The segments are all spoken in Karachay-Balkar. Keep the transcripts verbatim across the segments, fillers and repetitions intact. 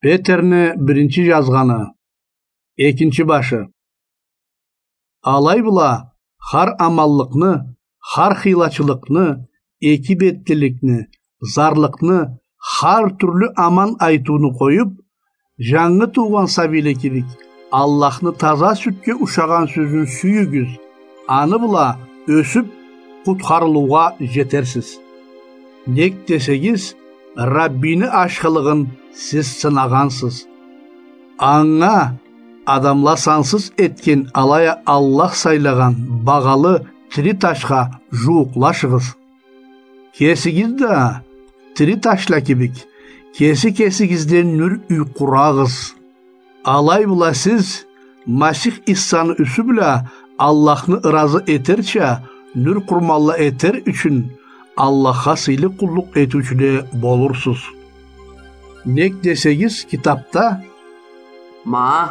Петерни биринчи жазгъаны, экинчи башы. Алай бла, хар аманлыкъны, хар хыйлачылыкъны, эки бетлиликни, зарлыкъны, хар тюрлю аман айтыуну къоюп, жангы туугъан сабийле кибик, Аллахны таза сютге ушагъан сёзюн сюйюгюз, аны бла ёсюп, къутхарылыугъа жетерсиз. Нек десегиз, Раббини ашхылыгъын сиз сынагъансыз. Анга адамла сансыз этген, алай а Аллах сайлагъан багъалы тири ташха жууукълашыгъыз. Кесигиз да, тири ташла кибик, кеси-кесигизден нюр юйкъурагъыз. Алай бла сиз Масих Иссаны юсю бла Аллахны ыразы этерча, нюр къурманла этер ючюн, Аллахха сыйлы къуллукъ этиучюле болурсуз. Нек десегиз, китапда: «Ма,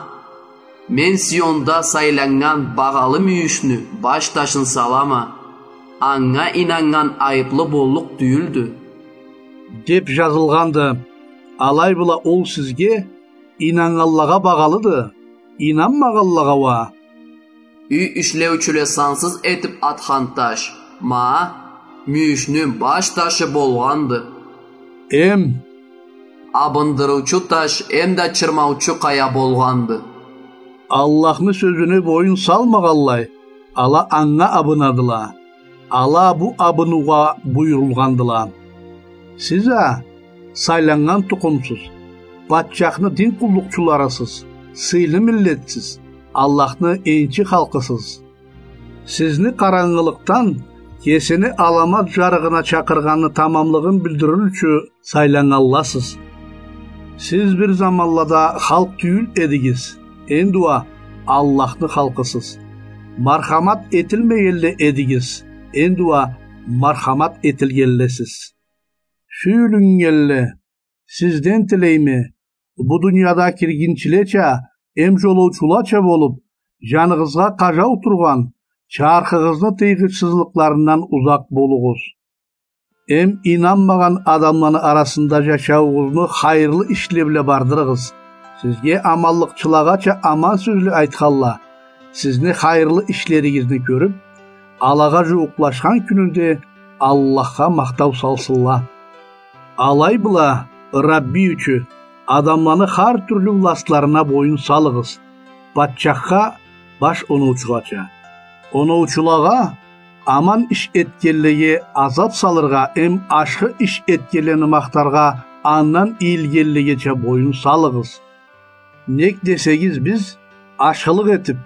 мен Сионда сайланнган багъалы мюйюшню баш ташын салама, анга ийнаннган айыплы боллукъ тюйюлдю», — деп жазылгъанды. Алай бла ол сизге, ийнаннганлагъа, багъалыды, ийнанмагъанлагъа уа: «Юй ишлеучюле сансыз этип атхан таш, ма, мюйюшню баш ташы болгъанды. Эм абындырыучу таш, эм да чырмаучу къая болгъанды». Аллахны сёзюне боюн салмагъанлай, ала анга абынадыла. Ала бу абынуугъа буюрулгъандыла. Сиз а сайланнган тукъумсуз, патчахны дин къуллукъчуларысыз, сыйлы миллетсиз, Аллахны энчи халкъысыз. Сизни къарангылыкъдан кесини аламат жарыгъына чакъыргъанны тамамлыгъын билдирир ючюн сайланнганласыз. Сиз бир заманлада халкъ тюйюл эдигиз, энди уа Аллахны халкъысыз. Мархамат этилмегенле эдигиз, энди уа мархамат этилгенлесиз. Сюйюлюннгенле, сизден тилейме, бу дунияда киргинчилеча эм жолоучулача болуп, жаныгъызгъа къажау тургъан чархыгъызны тыйгъычсызлыкъларындан узакъ болугъуз. Эм ийнанмагъан адамланы арасында жашауугъузну хайырлы ишле бла бардырыгъыз. Сизге аманлыкъчылагъача аман сёзле айтханла, сизни хайырлы ишлеригизни кёрюп, алагъа жууукълашхан кюнюнде Аллахха махтау салсынла. Алай бла, Рабби ючюн, адамланы хар тюрлю властларына боюн салыгъыз, патчахха, баш оноучугъача. Оноучулагъа, аман иш этгенлеге азап салыргъа эм ашхы иш этгенлени махтаргъа, андан ийилгенлегеча боюн салыгъыз. Нек десегиз, биз ашхылыкъ этип,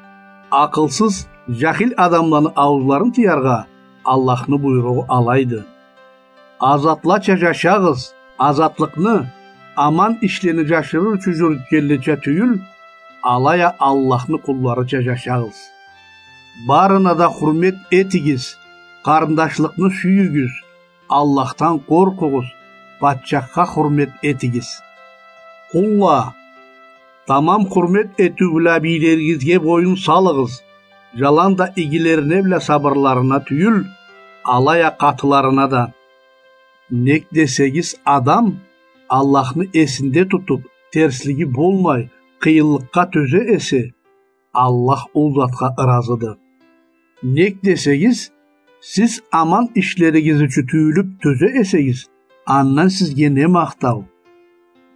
акъылсыз, жахил адамланы ауузларын тыяргъа Аллахны буйругъу алайды. Азатлача жашагъыз, азатлыкъны аман ишлени жашырыр ючюн жюрютгенлеча тюйюл, алай а Аллахны къулларыча жашагъыз. Барына да хурмет этигиз, къарындашлыкъны сюйюгюз, Аллахдан къоркъугъуз, патчахха хурмет этигиз. Къулла, тамам хурмет этиу бла бийлеригизге боюн салыгъыз, жаланда игилерине бла сабырларына тюйюл, алай а къатыларына да. Нек десегиз, адам Аллахны эсинде тутуп, терслиги болмай, къыйынлыкъгъа тёзе эсе, Аллах ол затха ыразыды. Нек десегиз, сиз аман ишлеригиз ючюн тюйюлюп тёзе эсегиз, андан сизге не махтау?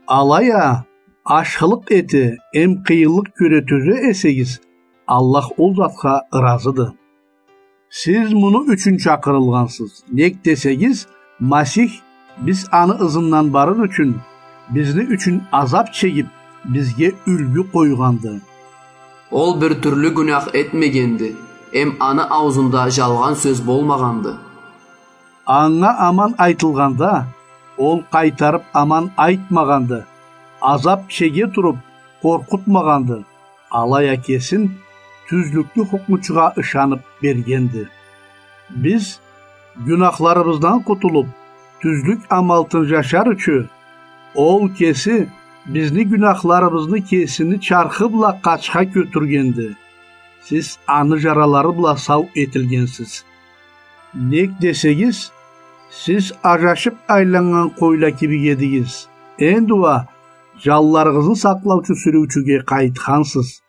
Алай а, ашхылыкъ эте эм къыйынлыкъ кёре тёзе эсегиз, Аллах ол затха ыразыды. Сиз муну ючюн чакъырылгъансыз. Нек десегиз, Масих, биз аны ызындан барыр ючюн, бизни ючюн азап чегип, бизге юлгю къойгъанды. Ол бир тюрлю гюнях этмегенди, эм аны ауузунда жалгъан сёз болмагъанды. Анга аман айтылгъанда, ол къайтарып аман айтмагъанды, азап чеге туруп къоркъутмагъанды, алай а кесин тюзлюклю хукмучугъа ышанып бергенди. Биз, гюнахларыбыздан къутулуп, тюзлюк амалтын жашар ючюн, ол кеси бизни гюнахларыбызны кесини чархы бла къачха кётюргенди. Сиз аны жаралары бла сау этилгенсиз. Нек десегиз, сиз ажашып айланнган къойла кибик эдигиз. Энди уа Жанларыгъызны сакълаучу сюрюучюге къайтхансыз.